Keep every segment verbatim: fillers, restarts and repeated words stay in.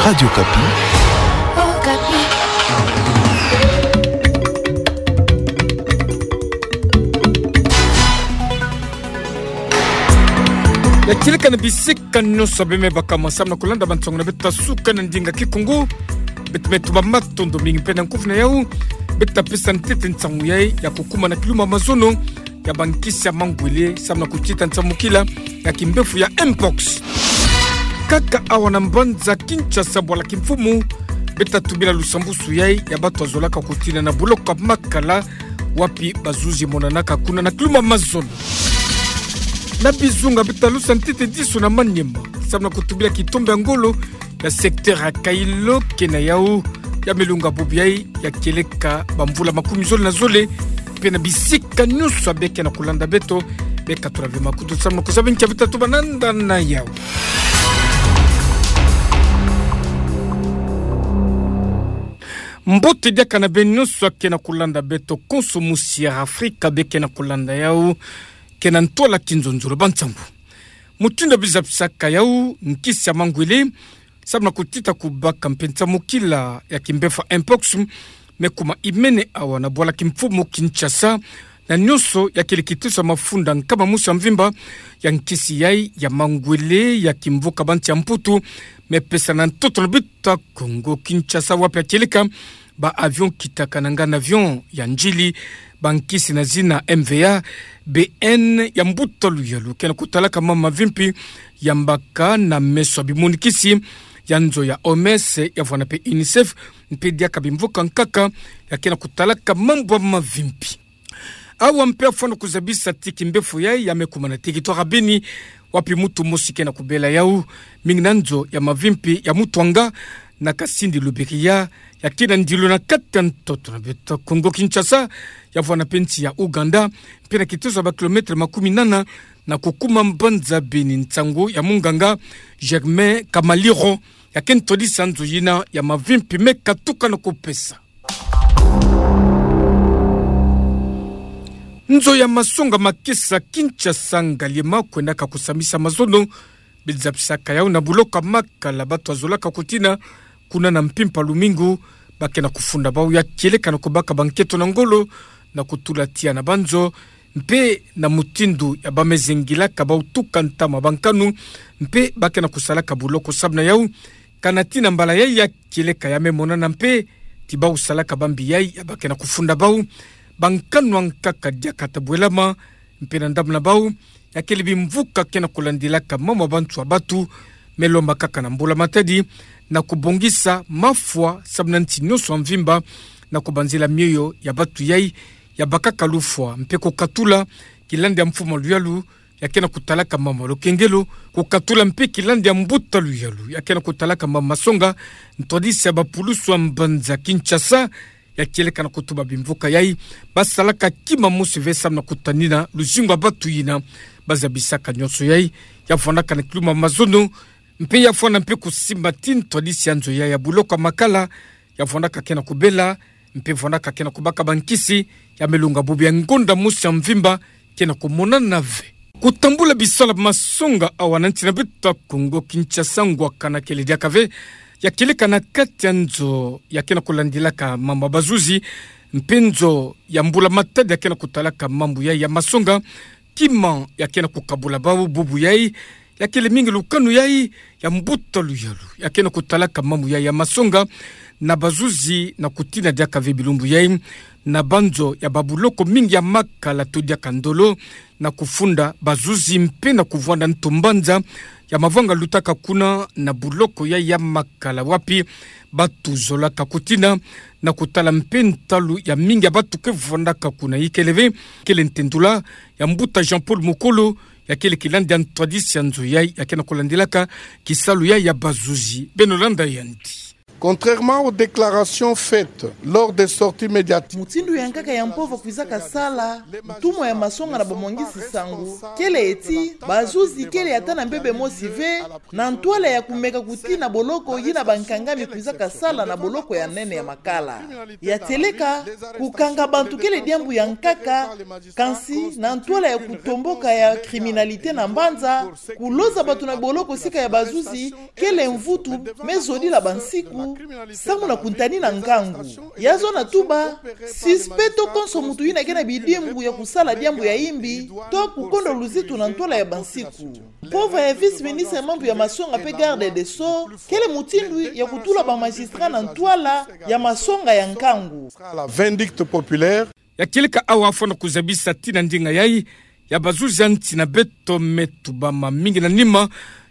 Radio Okapi. Ya kieleka na bisika nyonso bima baka ma samu na kulanda bansango na beto ya suka na ndinga Kikongo. Beto me tuba matondo mingi mpe na nkufi na yau. Beto tapesa ntete nsangu yai ya kukuma na kiluma mazono ya bankisi ya mangwele samu na kutita nsamukila ya kimbefo ya mpox. Kaka awa na mbanza Kinshasa, bwala kimfumu, beto tatubila lusambusu yai ya bato bazolaka kutina na buloko ya Makala, wapi bazuzi monanaka kuna na kiluma mazono. Na bizunga beto talusa ntete diso na Maniema samu na kutubila kitombe ya ngolo ya secteur ya Kailo, ke na yau ya me lunga bubu yai ya kieleka bamvula makumi zole na zole. Mpe na bisika nyonso ya bima ke na kulanda beto, beka tula ve makutu samu na kuzaba nkia beto tatuba nanda na yau. Mbote diaka na beno nyonso ya ke na kulanda beto konso musi ya Afrika bima ke na kulanda yau, ke na ntwala kinzonzolo. Bansangu mutindu bizapisaka yau, nkisi ya mangwele samu na kutita kubaka mpe nsamukila ya kimbefo mpox me kuma imene awa na bwala kimfumu Kinshasa, na nyonso ya kieleka kitusa mafunda nkama mosi ya mvimba ya nkisi yai ya mangwele ya kimvuka bansi ya Mputu me pesana na ntoto na beto ya Kongo Kinshasa, wapi ya kieleka ba avion kitaka na ngana avion ya ndjili bankisi na zina M V A B N ya mbuta luyalu ke na kutalaka mambu mavimpi ya mbaka na meso ya bimonikisi ya nzo ya O M S, ya vwanda mpe UNICEF, mpe diaka bimvuka nkaka ya ke na kutalaka mambu ya mavimpi. Awa mpe afwana kuzabisa ti kimbefo yai ya me kuma na territoire ya Beni, wapi mutu mosi ke na kubela yau, mingi na nzo ya mavimpi ya Mutuanga na Kasindi Lubiriha, ya ke na ndilo na kati ya ntoto na beto ya Kongo Kinshasa, ya vwanda mpe nsi ya Ouganda, mpe na kitusa ba kilomètre makumi nana na kukuma mbanza Beni. Nsangu ya munganga Germain Kamaliro ya ke ntwadisi ya nzo yina ya mavimpi me katuka na kupesa. Nzo ya masonga makesa Kinshasa, Ngaliema, kwendaka kusamisa mazono, bizapisaka yau na buloko ya Makala, bato bazolaka kutina kuna na mpimpa lumingu, ba ke na kufunda bau ya kieleka na kubaka banketo na ngolo na kutula tiya na banzo, mpe na mutindu ya ba me zengilaka bau tuka ntama bankanu, mpe ba ke na kusalaka buloko samu na yau. Kana tina mbala yai ya kieleka ya me monana mpe ti bau salaka bambi yai ya ba ke na kufunda bau, bankanu ya nkaka diaka ta bwelama, mpe na ndambu na bau ya kele bimvuka ke na kulandilaka mambu ya bantu ya batu, me lomba kaka na mbula matadi na kubongisa mafwa samu na nsi nyonso ya mvimba, na kubanzila mioyo ya batu yai ya bakaka lufwa, mpe kukatula kilandi ya mfumu ya luyalu ya ke na kutalaka mambu ya lukengelo, kukatula mpe kilandi ya mbuta luyalu ya ke na kutalaka mambu ya masonga, ntwadisi ya bapulusu ya mbanza Kinshasa, ya kieleka na kutuba bimvuka yai ba salaka kima mosi ve samu na kutanina luzingu ya batu yina ba zabisaka nyonso yai. Ya vwandaka na kiluma mazono, mpe ya fwana mpe kusimba ti ntwadisi ya nzo yai ya buloko ya Makala, ya vwandaka ke na kubela, mpe vwandaka ke na kubaka bankisi, ya me lunga bubu ya ngonda mosi ya mvimba ke na kumonana ve. Kutambula bisalu ya masonga awa na nsi na beto ya Kongo Kinshasa, ngwakana kele diaka ve ya kieleka na kati ya nzo ya ke na kulandilaka mambu ya bazuzi, mpe nzo ya mbula matadi ya ke na kutalaka mambu yai ya masonga, kima ya ke na kukabula bau bubu yai, ya kele mingi lukanu yai ya mbuta luyalu ya ke na kutalaka mambu yai ya masonga, na bazuzi na kutina diaka ve bilumbu yai na banzo ya babuloko mingi ya Makala to diaka ndolo, na kufunda bazuzi mpe na kuvwanda ntu mbanza ya mavanga lutaka kuna na buloko yai ya Makala, wapi batu zolaka kutina na kutala mpe ntalu ya mingi ya batu ke vwandaka kuna. Ikele ve kele ntendula ya mbuta Jean-Paul Mokolo, ya kele kilandi ya ntwadisi ya nzo yai ya ke na kulandilaka kisalu yai ya bazuzi. Beno landa yandi. Contrairement aux déclarations faites lors des sorties médiatiques, mutindu ya nkaka ya mpova kwizaka sala, ntumwa ya masonga na bamwangisi nsangu kele ti bazuzi kele ata na mbebe mosi ve na ntwala ya kumeka kutina boloko yina bankangami kwizaka sala na boloko ya nene ya Makala. Ya tieleka, kukanga bantu kele diambu ya nkaka, kansi na ntwala ya kutomboka ya criminalité na mbanza, kuloza bantu na boloko sika ya bazuzi kele mvutu me zodila bansiku, samu na kutanina nkangu. Ya zona tuba, suspect to konso muntu yina ke na bidimbu ya kusala diambu ya imbi to kukondwa luzitu na ntwala ya bansiku. Mpova ya vice-ministre ya mambu ya masonga pe garde des Sceaux kele mutindu ya kutula bamagistrat na ntwala ya masonga ya nkangu. La vindicte populaire. Ya kieleka awa fwana kuzabisa tii na ndinga yai ya bazuzi ya nsi na beto me tubama mingi na nima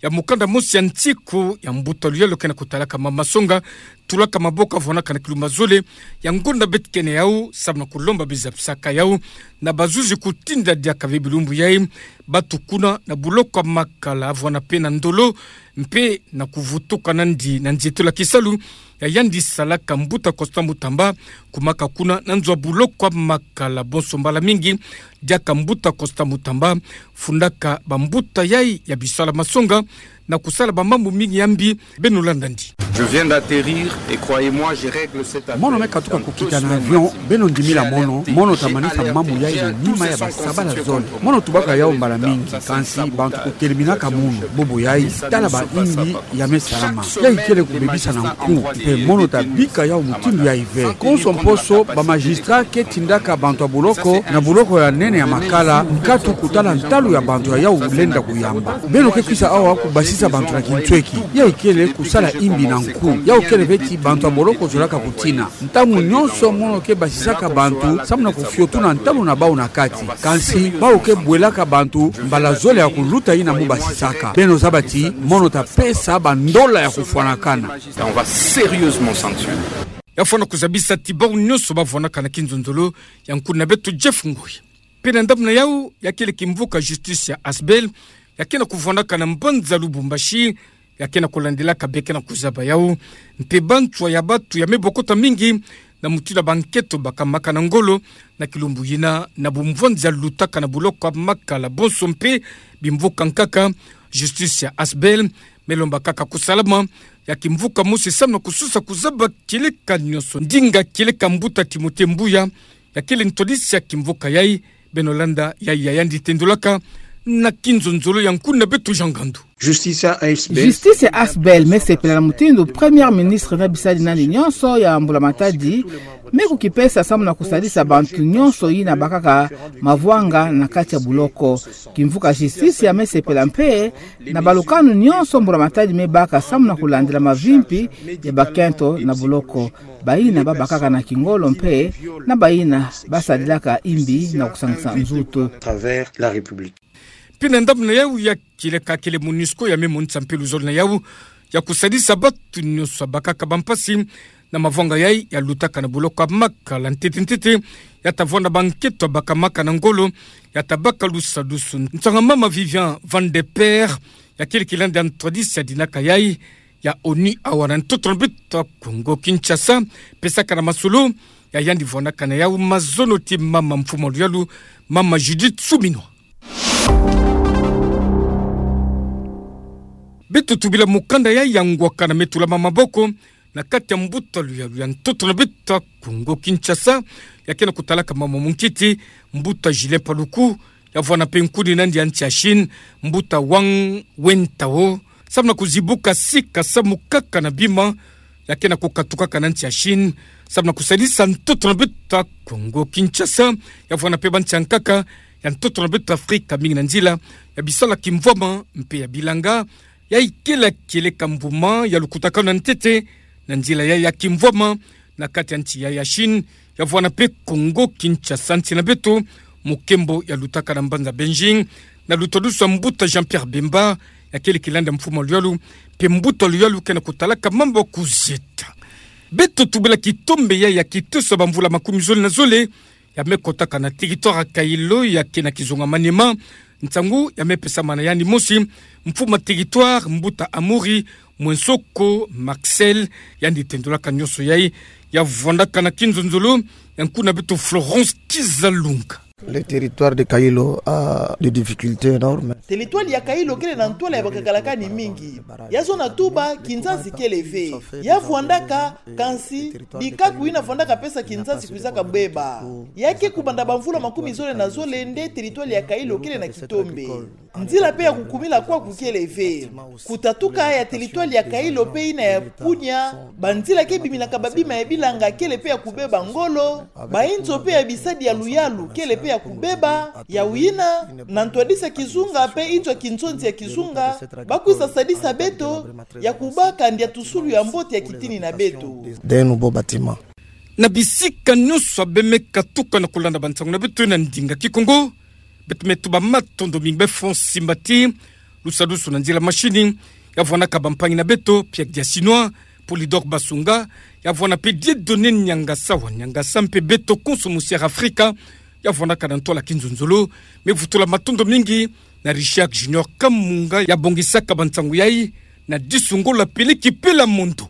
ya mukanda mosi ya nsiku ya mbuta luyalo ke na kutalaka mama masonga, tulaka maboko avwanaka na kilumbu zole ya ngonda beto kena yau, samu na kulomba bizabisaka yau na bazuzi kutinda diaka ve bilumbu yai, batukuna na buloko ya Makala avwana pe na ndolo, mpe na kuvutuka nandi na nzietolo ya kisalu ya yandi salaka mbuta Constant Mutamba, kumaka kuna na nzo ya buloko ya Makala. Bonso mbala mingi, diaka mbuta Constant Mutamba fundaka bambuta yai ya bisalu ya masonga na kusala bamambu mingi ya mbi. Beno landa nandi. Je viens d'atterrir et croyez-moi, je règle cette affaire dans deux semaines maximum. Mono me katuka kukita na avion, beno ndimila mono, mono ta manisa mambu yai na nima ya basabala zole. Mono tubaka yau mbala mingi, kansi bantu kuteleminaka munu. Bubu yai, tala ba imbi ya me salama. Yai kele kubebisa na nku, mpe mono ta bika yau mutindu yai ve. Konso mposo, bamagistrat ke tindaka bantu ya buloko na buloko ya nene ya Makala nkatu kutala ntalu ya bantu ya yau lenda kuyamba. Beno ke kwisa awa kubasisa bantu na kinsweki. Yai kele kusala imbi na nku. Yau kele ve ti bantu ya boloko zolaka kutina. Ntangu nyonso mono ke basisaka bantu samu na kufiotuna ntalu na bau na kati. Kansi bau ke bwelaka bantu mbala zole ya kuluta yina mo basisaka. Beno zaba ti mono ta pesa bandola ya kufwanakana. On va sérieusement sanctionner. Ya fwana kuzabisa ti bau nyonso bavwanaka na kinzonzolo ya nkuna beto Jeff Ngoi. Mpe na ndambu na yau, ya kele kimvuka justice ya Asbel, ya ke na kuvwanaka na mbanza Lubumbashi, ya ke na kulandilaka be ke na kuzaba yau, mpe banswa ya batu ya me bokota mingi na mutindu ya bankento bakamaka na ngolo na kilumbu yina na bumvwanzi ya lutaka na buloko ya Makala. Bonso mpe bimvuka nkaka, justice ya Asbel me lomba kaka kusalama ya kimvuka mosi samu na kusosa kuzaba kieleka nyonso. Ndinga kieleka mbuta Timothée Mbuya, ya kele ntwadisi ya kimvuka yai, beno landa yai ya yandi tendolaka na kinzonzolo ya nkuna beto Jean Ngandu. Justice ya Asbel. Justice ya Asbel me sepela na mutindu Premier Ministre na bisadi nandi nyonso ya Mbula Matadi me kukipesa samu na kusadisa bantu nyonso yina bakaka mavwanga na kati ya buloko. Kimvuka justice ya me sepela mpe na balukanu nyonso Mbula Matadi me baka samu na kulandila mavimpi ya bakento na buloko, bayina babakaka na kingolo mpe na bayina basadilaka imbi na kusangisa nzutu. Travers la République. Mpe na ndambu na yau, ya kieleka kele MONUSCO ya me monisa mpe luzolo na yau ya kusadisa batu nyonso bakaka bampasi na mavwanga yai ya lutaka na buloko ya Makala. Ntete ntete, ya ta vwanda bankento bakamaka na ngolo, ya ta baka lusadusu. Nsanga mama Viviane Van de Perre, ya kele kilandi ya ntwadisi ya dinaka yai ya ONU awa na ntoto na beto ya Kongo Kinshasa, pesaka na masolo ya yandi vwanaka na yau mazono ti mama mfumu ya luyalu, mama Judith Suminwa. Beto tubila mukanda yai ya ngwakana me tulama maboko na kati ya mbuta luyalu ya ntoto na beto ya Kongo Kinshasa, ya ke na kutalaka mama munkiti, mbuta Julien Paluku, ya vwana mpe nkuni nandi ya nsi ya Chine, mbuta Wang Wentao, samu na kuzibuka sika samu kaka na bima ya ke na kukatukaka na nsi ya Chine, samu na kusadisa ntoto na beto ya Kongo Kinshasa, ya vwana mpe bansi ya nkaka ya ntoto na beto Afrika, mingi na nzila ya bisalu ya kimvwama mpe ya bilanga, ya ikele kieleka mbuma ya lukutakanu ya ntete na nzila ya, ya kimvwama na kati ya nsi ya, ya Chine, ya vwana mpe Kongo Kinshasa, nsi na beto, mokembo ya lutaka na mbanza Beijing, na lutadusu ya mbuta Jean-Pierre Bemba, ya kele kilandi ya mfumu ya luyalu, mpe mbuta luyalu ke na kutalaka mambu ya kuzieta. Beto tubila kitombe yai ya kitoso ya bamvula makumi zole na zole, ya me kotaka na territoire ya Kaelo, ya ke na kizunga Maniema. Nsangu ya me pesama na yandi mosi, mfumu ya territoire, mbuta Amuri Mwensoko Marcel, yandi tendolaka nionso yai, ya vwandaka na Kinzonzolo, ya nkuna beto Florence Kizalunga. Le territoire de Kailo a des difficultés énormes. Teritwali ya Kailo kele na ntwala ya bakakalakani mingi. Ya zona tuba, kinzansi kele ve. Ya vwandaka, kansi, bikaku ina vwandaka pesa kinzansi kwizaka beba. Ya ke kubanda bamvula makumi zole na zole nde teritwali ya Kailo kele na kitombe. Nzila pe ya kukumila kwaku kele ve. Kutatuka ya teritwali ya Kailo pe ina ya Punya, banzila ke biminaka babima ya bilanga kele pe ya kubeba ngolo, bainzo pe ya bisadi ya luyalu kele pe ya kubeba, ya wina, na ntwadisi ya kizunga pe inzo ya kinzonzi ya kizunga, bakwiza sadisa beto, ya kubaka ndia tusulu ya mbote ya kitini na beto. D'un nouveau bâtiment. Na bisika nionso bemeka tuka na kulanda bansangu na beto na ndinga Kikongo, beto me tuba matondo mingi bafo nsimbati, lusadusu na nzila mashini, ya vwanaka bampangi na beto, Pierre Diasinois, Polydor Basunga, ya vwana pe Dieudonné Niangasa wa Niangasa mpe beto konso musi Air Afrika, ya vwanaka na ntwala Kinzonzolo, me vutula matondo mingi na Richard Junior Kamunga, ya bongisaka bansangu yai, na disu ngo la peleki pe la mondo.